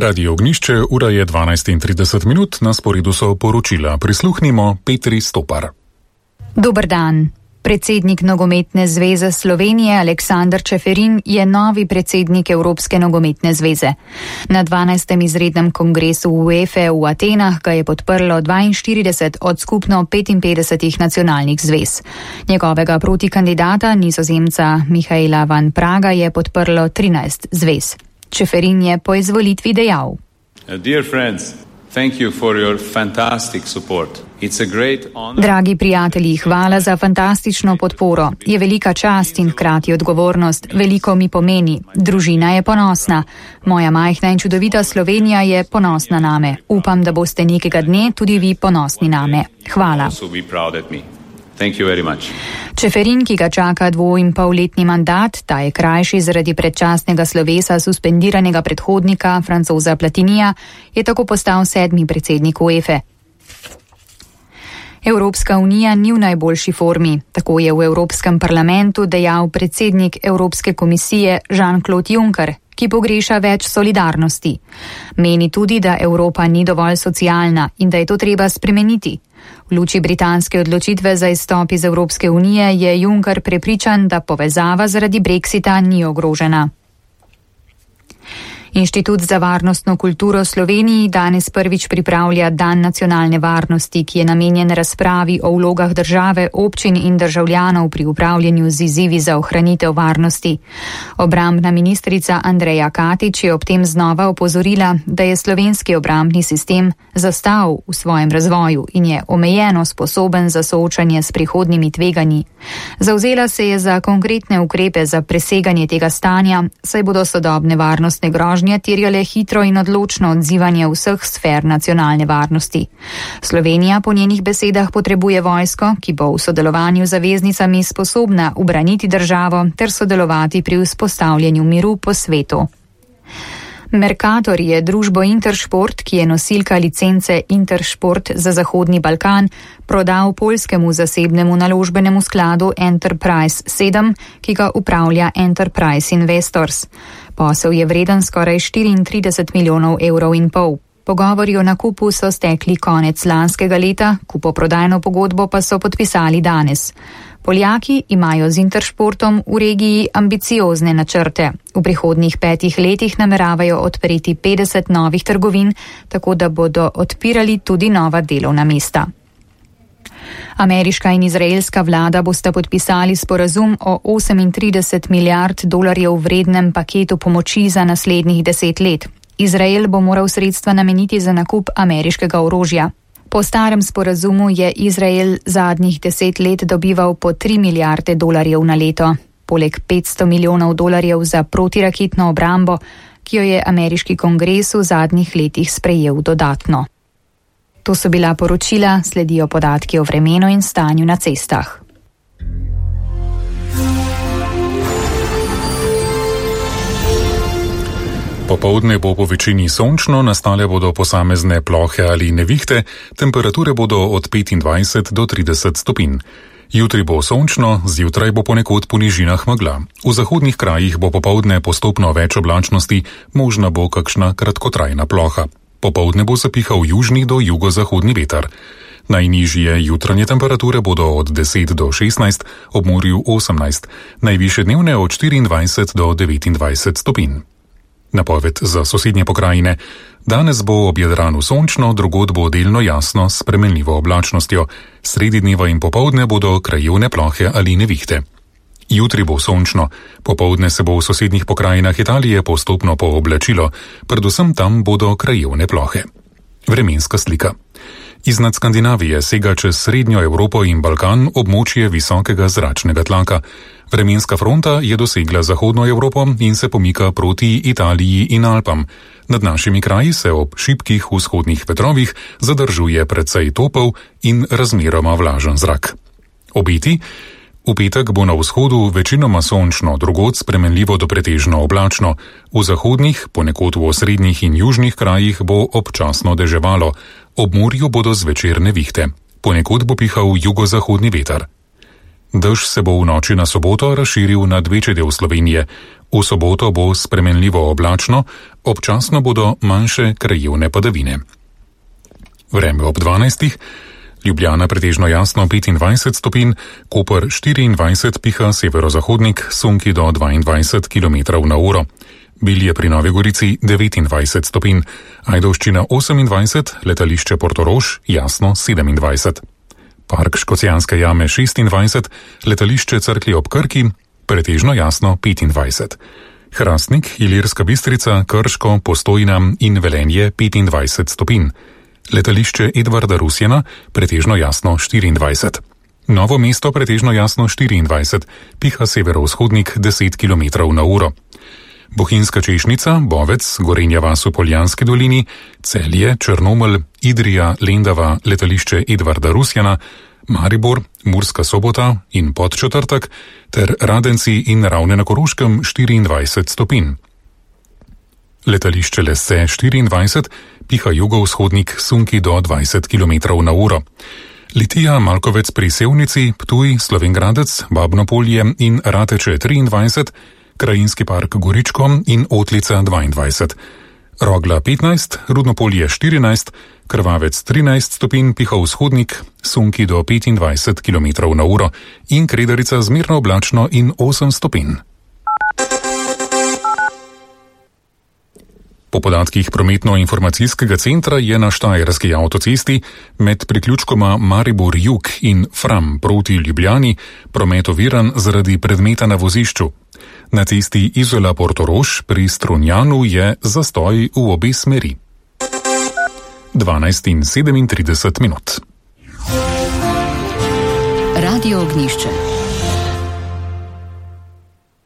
Radio Ognišče, ura je 12:30, na sporedu so poročila. Prisluhnimo Petri Stopar. Dober dan. Predsednik Nogometne zveze Slovenije Aleksander Čeferin je novi predsednik Evropske nogometne zveze. Na 12. izrednem kongresu UEFA v Atenah ga je podprlo 42 od skupno 55 nacionalnih zvez. Njegovega protikandidata, Nizozemca Michaela van Praga, je podprlo 13 zvez. Čeferin je po izvolitvi dejal: Dear friends, thank you for your fantastic support. It's a great honor. Dragi prijatelji, hvala za fantastično podporo. Je velika čast in hkrati odgovornost. Veliko mi pomeni. Družina je ponosna. Moja majhna in čudovita Slovenija je ponosna name. Upam, da boste nekega dne tudi vi ponosni name. Hvala. Čeferin, ki ga čaka 2,5-letni mandat, ta je krajši zaradi predčasnega slovesa suspendiranega predhodnika Francoza Platinija, je tako postal 7. predsednik UEFA. Evropska unija ni v najboljši formi, tako je v Evropskem parlamentu dejal predsednik Evropske komisije Jean-Claude Juncker, ki pogreša več solidarnosti. Meni tudi, da Evropa ni dovolj socialna in da je to treba spremeniti. V luči britanske odločitve za izstop iz Evropske unije je Juncker prepričan, da povezava zaradi Brexita ni ogrožena. Inštitut za varnostno kulturo Sloveniji danes prvič pripravlja Dan nacionalne varnosti, ki je namenjen razpravi o vlogah države, občin in državljanov pri upravljanju z izzivi za ohranitev varnosti. Obrambna ministrica Andreja Katič je ob tem znova opozorila, da je slovenski obrambni sistem zastal v svojem razvoju in je omejeno sposoben za soočanje s prihodnjimi tveganji. Zavzela se je za konkretne ukrepe za preseganje tega stanja, saj bodo sodobne varnostne grožnje terjale hitro in odločno odzivanje vseh sfer nacionalne varnosti. Slovenija po njenih besedah potrebuje vojsko, ki bo v sodelovanju z zaveznicami sposobna ubraniti državo ter sodelovati pri vzpostavljanju miru po svetu. Mercator je družbo Intersport, ki je nosilka licence Intersport za Zahodni Balkan, prodal poljskemu zasebnemu naložbenemu skladu Enterprise 7, ki ga upravlja Enterprise Investors. Posel je vreden skoraj 34 milijonov evrov in pol. Pogovori o nakupu so stekli konec lanskega leta, kupoprodajno pogodbo pa so podpisali danes. Poljaki imajo z Intersportom v regiji ambiciozne načrte. V prihodnjih 5 letih nameravajo odpreti 50 novih trgovin, tako da bodo odpirali tudi nova delovna mesta. Ameriška in izraelska vlada bosta podpisali sporazum o 38 milijard dolarjev vrednem paketu pomoči za naslednjih 10 let. Izrael bo moral sredstva nameniti za nakup ameriškega orožja. Po starem sporazumu je Izrael zadnjih 10 let dobival po 3 milijarde dolarjev na leto, poleg 500 milijonov dolarjev za protiraketno obrambo, ki jo je ameriški kongres v zadnjih letih sprejel dodatno. To so bila poročila, sledijo podatki o vremenu in stanju na cestah. Popoldne bo po večini sončno, nastale bodo posamezne plohe ali nevihte, temperature bodo od 25 do 30 stopinj. Jutri bo sončno, zjutraj bo ponekod po nižinah megla. V zahodnih krajih bo popoldne postopno več oblačnosti, možna bo kakšna kratkotrajna ploha. Popoldne bo zapihal južni do jugozahodni veter. Najnižje jutranje temperature bodo od 10 do 16, ob morju 18, najvišje dnevne od 24 do 29 stopinj. Napoved za sosednje pokrajine. Danes bo ob Jadranu sončno, drugod bo delno jasno s spremenljivo oblačnostjo. Sredi dneva in popoldne bodo krajevne plohe ali nevihte. Jutri bo sončno, popoldne se bo v sosednjih pokrajinah Italije postopno pooblačilo, predvsem tam bodo krajevne plohe. Vremenska slika. Iznad Skandinavije sega čez srednjo Evropo in Balkan območje visokega zračnega tlaka. Vremenska fronta je dosegla zahodno Evropo in se pomika proti Italiji in Alpam. Nad našimi kraji se ob šibkih vzhodnih vetrovih zadržuje precej topel in razmeroma vlažen zrak. Obeti. V petek bo na vzhodu večinoma sončno, drugod spremenljivo do pretežno oblačno. V zahodnih, ponekod v osrednjih in južnih krajih bo občasno deževalo. Ob morju bodo zvečer nevihte. Ponekod bo pihal jugozahodni veter. Dež se bo v noči na soboto razširil na večji del Slovenije. V soboto bo spremenljivo oblačno, občasno bodo manjše krajevne padavine. Vreme ob 12. Ljubljana pretežno jasno 25 stopinj, Koper 24, piha severozahodnik, sunki do 22 km/h. Bilje pri Novi Gorici 29 stopinj, Ajdovščina 28, letališče Portorož jasno 27. Park Škocjanske jame 26, letališče Cerklje ob Krki pretežno jasno 25. Hrastnik, Ilirska Bistrica, Krško, Postojna in Velenje 25 stopinj. Letališče Edvarda Rusjana pretežno jasno 24. Novo mesto pretežno jasno 24, piha severovzhodnik 10 km/h. Bohinjska Češnica, Bovec, Gorenja vas v Poljanski dolini, Celje, Črnomelj, Idrija, Lendava, letališče Edvarda Rusjana, Maribor, Murska Sobota in Podčetrtek ter Radenci in Ravne na Koroškem 24 stopinj. Letališče Lesce 24, piha jugovzhodnik, sunki do 20 km/h. Litija, Malkovec pri Sevnici, Ptuj, Slovengradec, Babnopolje in Rateče 23, Krajinski park Goričko in Otlica 22. Rogla 15, Rudnopolje 14, Krvavec 13 stopinj, piha vzhodnik, sunki do 25 km/h in Kredarica zmerno oblačno in 8 stopinj. Po podatkih prometno-informacijskega centra je na Štajerski avtocesti med priključkoma Maribor Jug in Fram proti Ljubljani promet oviran zaradi predmeta na vozišču. Na cesti Izola-Portorož pri Strunjanu je zastoj v obe smeri. 12:37. Radio Ognjišče.